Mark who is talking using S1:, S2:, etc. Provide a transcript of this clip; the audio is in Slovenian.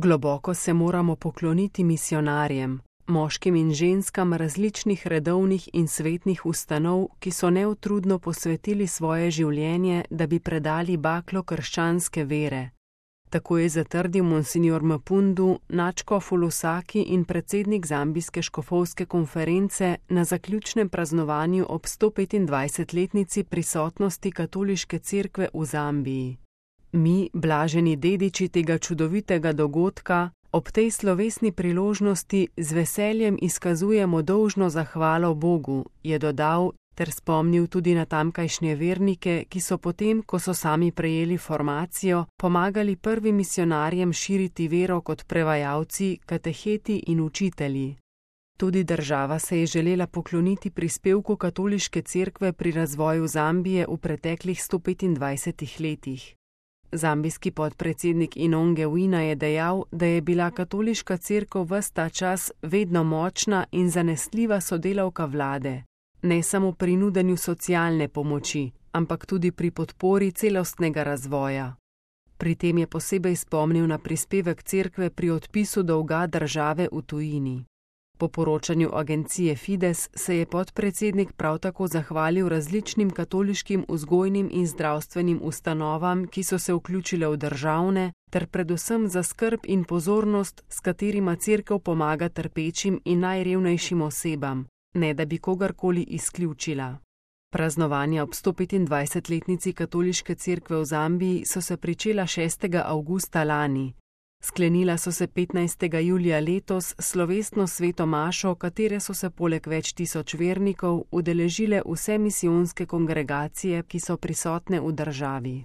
S1: Globoko se moramo pokloniti misionarjem, moškim in ženskam različnih redovnih in svetnih ustanov, ki so neutrudno posvetili svoje življenje, da bi predali baklo krščanske vere. Tako je zatrdil monsignor Mpundu, nadškof v Lusaki in predsednik zambijske škofovske konference na zaključnem praznovanju ob 125-letnici prisotnosti katoliške cerkve v Zambiji. Mi, blaženi dediči tega čudovitega dogodka, ob tej slovesni priložnosti z veseljem izkazujemo dolžno zahvalo Bogu, je dodal ter spomnil tudi na tamkajšnje vernike, ki so potem, ko so sami prejeli formacijo, pomagali prvim misionarjem širiti vero kot prevajalci, kateheti in učitelji. Tudi država se je želela pokloniti prispevku katoliške cerkve pri razvoju Zambije v preteklih 125 letih. Zambijski podpredsednik Inonge Wina je dejal, da je bila katoliška cerkev ves ta čas vedno močna in zanesljiva sodelavka vlade, ne samo pri nudenju socialne pomoči, ampak tudi pri podpori celostnega razvoja. Pri tem je posebej spomnil na prispevek cerkve pri odpisu dolga države v tujini. Po poročanju agencije Fides se je podpredsednik prav tako zahvalil različnim katoliškim vzgojnim in zdravstvenim ustanovam, ki so se vključile v državne, ter predvsem za skrb in pozornost, s katerima cerkev pomaga trpečim in najrevnejšim osebam, ne da bi kogarkoli izključila. Praznovanja ob 125-letnici katoliške cerkve v Zambiji so se pričela 6. avgusta lani. Sklenila so se 15. julija letos slovesno sveto mašo, katere so se poleg več tisoč vernikov udeležile vse misijonske kongregacije, ki so prisotne v državi.